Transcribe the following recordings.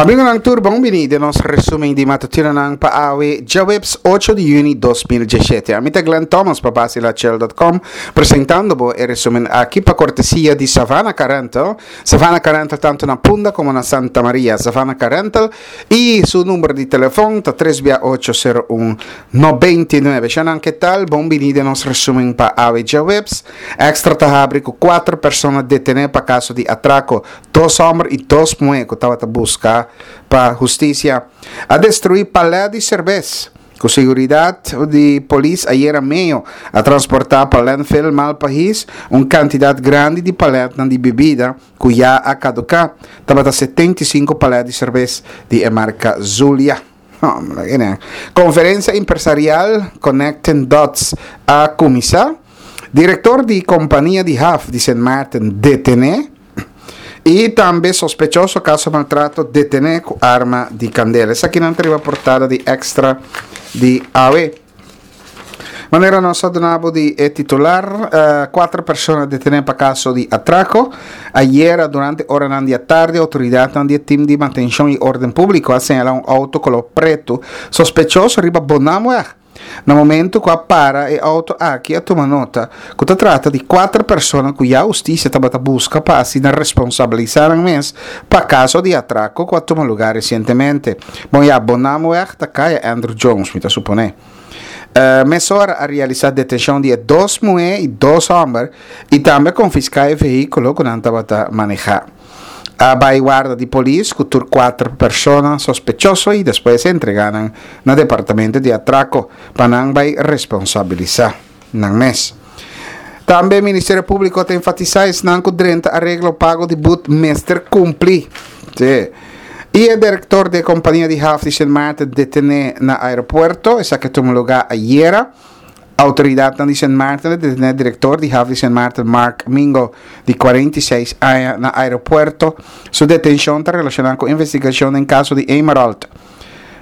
Amigonan tur bon bini den nos resumen di matutinonan pa awe djaweps 8 di juni 2017. Ami ta Glenn Thomas pa basilachel.com presentando bo e resumen aki pa cortesia di Savannah Car Rental. Savannah Car Rental tanto na Punda como na Santa Maria. Savannah Car Rental y su number di telefon ta 3 bia 8 01 99. Shanan ke tal? Bon bini den nos resumen pa awe djaweps. Extra ta habri ku 4 persona detene pa kaso di atraco. Dos hòmber i dos muhé ku tabata buska pa hustisia a destruí palè di serbes. Ku seguridat di polis ayera meyo a transportá pa landfill Malpahis un kantidat grandi di palètnan di bibida ku ya a kaduká. Tabata 75 palè di serbes di e marka Zulia. Konferensia empresarial Connecting Dots a kuminsá. Direktor di kompania di haf di Sint Maarten detené i tambe sospechoso kaso maltrato detené ku arma di kandela. Esakinan ta riba portada di Extra di awe. Manera nos a duna bo di e titular, cuatro persona detene pa caso di atraco. Ayera durante oranan di atardi autoridadnan di e team di mantencion y orden publico a señala un auto color preto sospechoso riba Bonamweg. Na momento cu a para e auto aki a tuma nota cu ta trata di cuatro persona cu ya husticia tabata busca pa asina responsabilisa nan mes pa caso di atraco cu a tuma lugar recientemente. Bon ya, Bonamweg ta caya Andrew Jones, mi ta supone. Mesora a realisá detenshon di e dos muhé i dos hòmber i tambe a konfiská e vehíkulo ku nan tabata manehá. A bai warda di polis ku tur kuater persona sospechoso i despues a entregá nan na departamento di atrako pa nan bai responsabilisá nan mes. Tambe Ministerio Públiko ta enfatisá esnan ku drenta areglo pago di but mester kumpli. Sí. I e direktor di e kompania di haf di Sint Maarten detené na aeropuerto. Esaki a tuma lugá ayera. Outoridatnan di Sint Maarten a detené direktor di haf di Sint Maarten Mark Mingo di 46 aña na aeropuerto. Su detenshon ta relashoná ku investigashon den kaso di Emerald.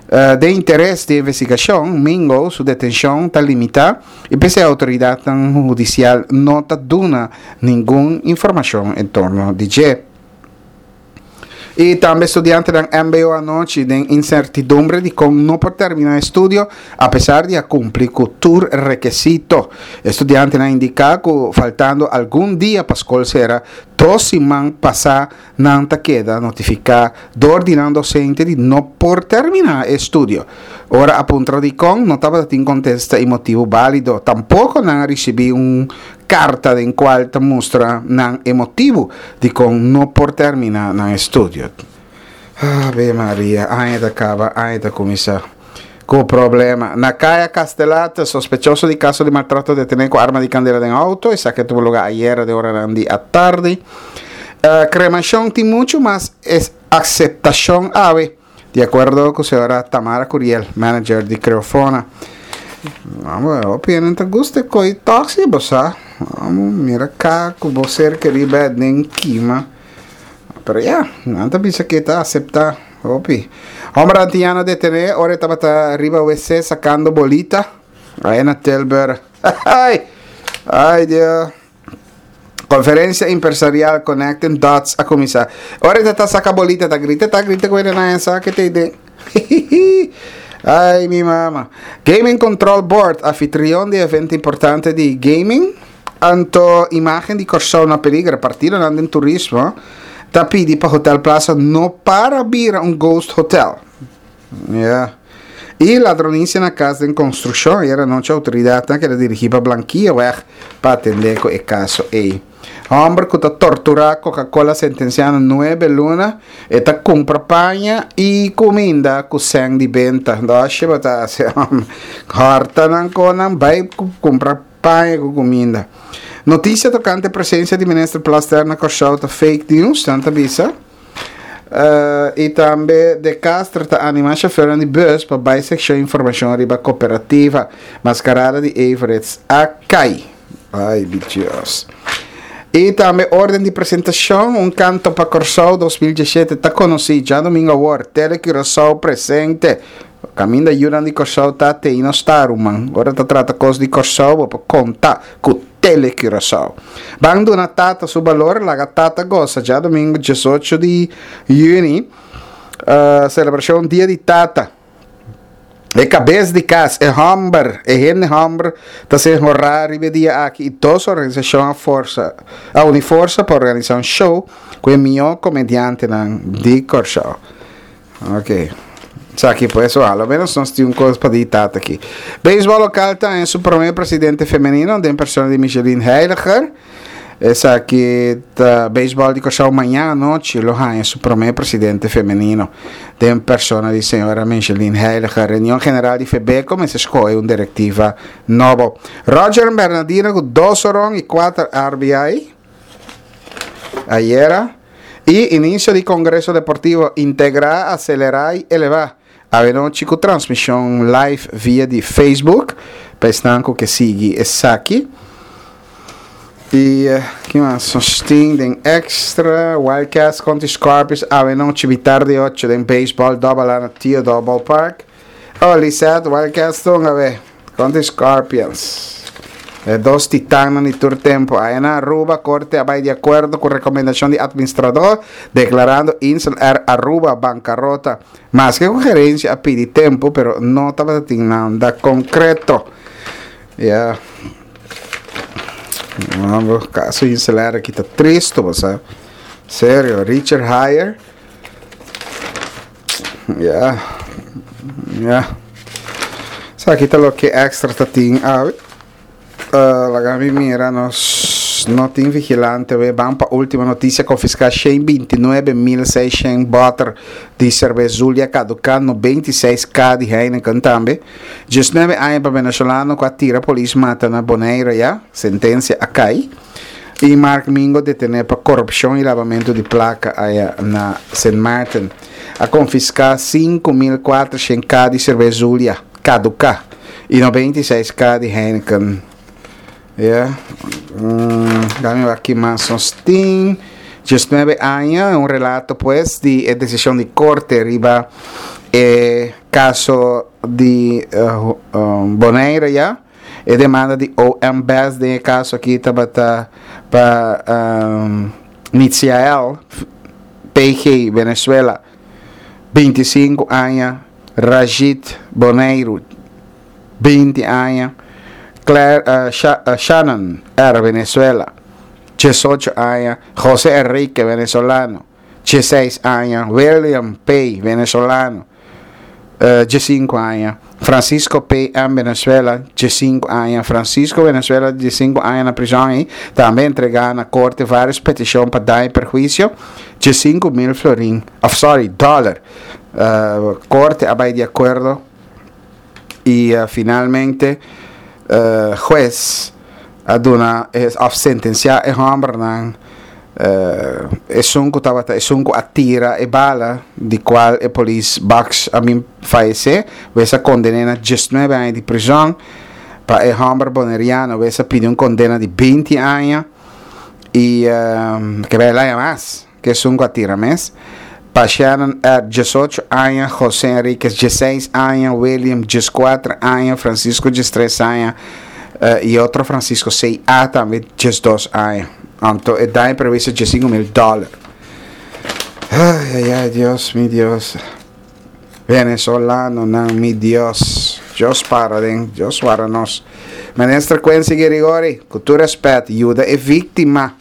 Den interes di investigashon, Mingo su detenshon ta limitá i p'esei outoridatnan hudisial no ta duna ningun informashon en torno di dje. I tambe studiantenan mbo anochi den insertidumbre di kon no por terminá e studio apesar di a kumpli ku tur rekesito. E studiantenan a indiká ku faltando algun dia pa skol sera, dos siman pasá nan ta keda notifiká dor di nan dosente di no por terminá e studio. Ora a puntra dikon, no tabata tin kontesta i motibu bálido. Tampoko nan a risibí un karta den kual ta mustra nan e motibu dikon no por terminá nan estudio. Ave Maria, aña ta kaba, aña ta kuminsá. Ku problema. Na Kaya Castelat, sospechoso di kaso di maltrato detené ku arma di kandela den outo. Esaki a tuba lugá ayera den oranan di atardi. Kremashon tin muchu mas akseptashon awe. Di akuerdo ku señora Tamara Curiel, manager di Creofona. Amo, hopi hende ta gusta e koi tòg si bo sa. Amo mira ka ku bo ser kerí bèt den kima. Pero ya, nan ta bisa ke ta aseptá hopi. Hòmber antiano detené ora e tabata riba wc sakando bolita. Aya na Tilburg. Ai! Ai Dios. Conferencia Empresarial Connecting Dots a cuminsa. Ora ta ta saca bolita ta grita ta grita cu na sa que te den. Ay mi mama. Gaming Control Board, anfitrión di evento importante di gaming. Anto imagen di Kòrsou na peliger, partidonan den turismo ta pidi pa Hotel Plaza no para bira un ghost hotel. Ya. I ladronisia na kas den konstrukshon. Ayera anochi outoridatnan a keda dirigí pa Blankiaweg pa atendé ku e kaso ei. Hòmber ku ta torturá Coca-Cola sentensiá na nuebe luna. E ta kumpra paña i kuminda ku sèn di benta. Dòshi bo ta hasi hòmber. Hòrta nan konan bai kumpra paña ku kuminda. Notisia tokante presensia di minister Plasterk na Kòrsou ta fake news, nan ta bisa. I tambe De Castro ta anima shofernan di bus pa bai sekshon informashon riba kooperativa. Maskarada di Everitz a kai. Ai mi Dios. I tambe orden di presentashon, Un Kanto pa Kòrsou 2017 ta konosí djadumingu awor. Tele Curaçao presente. Kaminda yunan di Kòrsou ta te i nos ta ruman. Ora ta trata kos di Kòrsou bo por konta ku Tele Curaçao. Ban duna tata su balor, laga tata gosa djadumingu diesocho di yüni. Selebrashon Dia di Tata. E kabes di kas, e hòmber, e hende hòmber ta ser honrá riba e dia aki i dos organisashon a forsa a uni forsa pa organisá un show ku e mihó komediantenan di Kòrsou. Ok. Esaki pues, a lo menos nos tin un kos pa di tata aki. Beisbòl lokal ta haña su promé presidente femenino den persona di Micheline Heiliger. Esaki ta Beisbòl di Kòrsou mañan anochi lo haña su promé presidente femenino den persona di señora Micheline Heiliger. Reunion general di Febeko mester skohe un direktiva nobo. Roger Bernadina ku dos oron i kuater RBI ayera. I inisio di Kongreso Deportivo Integrá, Aselerá i Elevá awenochi ku transmishon live via di Facebook pa esnan ku ke sigui esaki. I ki mas nos tin den extra? Wildcats kontra Scorpions awenochi mitar di ocho den baseball Double A na Theodore Ballpark. Oh, Lisette, Wildcats ta hunga awe kontra Scorpions. E dos titannan di tur tempo. Aya na Aruba, Corte a bai di acuerdo cu recomendacion di administrador, declarando Insel Air Aruba bancarota. Maske cu gerencia a pidi tempo, pero no tabata tin nada concreto. Ya. Mambo, caso Insel Air aki ta tristo, bo sa. Serio, Richard Heyer. Ya. Ya. Esaki ta loke extra ta tin awe. Uh, laga mi mira, nos no tin vigilante we. Ban pa última noticia, confisca 129.600 boter di cerveza Zulia caduca, 96k di Heineken tambe. 19 aña pa venezolano cu a tira polis mata na Bonaire ya, sentencia a cai. Y Mark Mingo detene pa corupcion y labamento di placa aya na Sint Maarten. A confisca 5.400 k di cerveza Zulia caduca y 96 k di Heineken. Ya. Mm, dame wak ki mas nos tin. 19 aña, un relato pues di e decision di corte riba e caso di Bonaire ya. E demanda di OM Best den e caso aki tabata pa Mitziael PG Venezuela, 25 aña, Rajit Boneiru, 20 aña, Claire Shannon R. Venezuela, 18 aña, Jose Enrique, venezolano, 16 aña, William P. Venezolano, 15 aña, Francisco P. M. Venezuela, 15 aña, Francisco Venezuela, 15 aña na prison y tambe entrega na corte varios peticion pa daño y perhuicio, 15 mil florin, of sorry, dollar. Corte a bay di acuerdo y finalmente huez a duna of sentencia e hombernan esun cu tabata esun cu a tira e bala di cual e polis Bax a bin fayece huez a condene na diesnuebe aña di prison pa e homber boneriano huez a pidi un condena di binti aña y ke bay laña mas. Ku esun ku a tira mes. Pa Shannon R. 18 aña, José Enriquez 16 aña, William 14 aña, Francisco 13 aña i otro Francisco CA tambe 12 aña. Anto e daño previsto 15 mil dòler. Ay, ay, ay, Dios, mi Dios. Venezolanonan, mi Dios. Dios para den, Dios wara nos. Minister Quincy Girigorie, ku tur respet, yuda e víktima.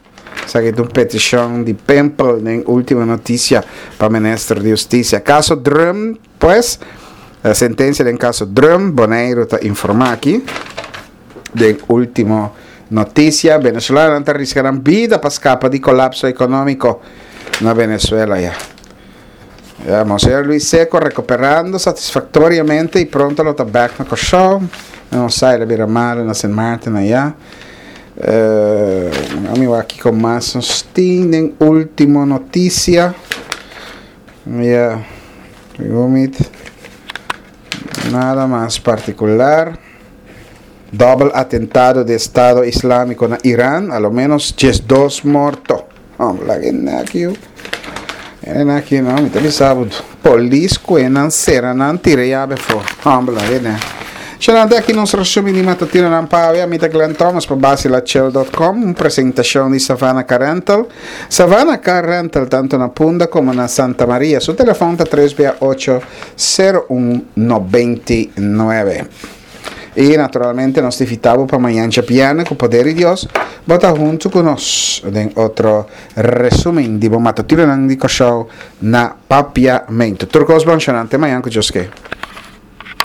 Esaki ta un peticion di Pempel den Ultimo Noticia pa Minister di Husticia. Caso Drum, pues, sentencia den caso Drum, Boneiru ta informa aki den Ultimo Noticia. Venezolanonan ta risca nan bida pa scapa di colapso economico na Venezuela ya. Ya, Monseñor Luis Seco recuperando satisfactoriamente y pronto lo ta back na Kòrsou. No sa, el a bira malo na Sint Maarten allá. Uh, ami wak kiko mas nos tin den último noticia. Ya, gomit. Nada mas particular. Dobbel atentado di Estado Islámiko na Iran, a lo ménos 12 morto. Oh, laga e naki yu. E naki no, mi ta bisa bo. Polis kue nan sera nan tira yabe afó. Hombre, laga e nek. Shanante aki nos resumi di matutinonan pa awe. Ami ta Glenn Thomas pa basilachel.com, un presentacion di Savannah Car Rental. Savannah Car Rental tanto na Punda como na Santa Maria. Su telefon ta 3 bia 8 01 99. Y naturalmente nos ta invita bo pa mañan djabierne cu poder di Dios bo ta hunto cu nos den otro resumen di bo matutinonan di Kòrsou na Papiamento. Tur cos bon, Shanante, mañan cu Dios ke.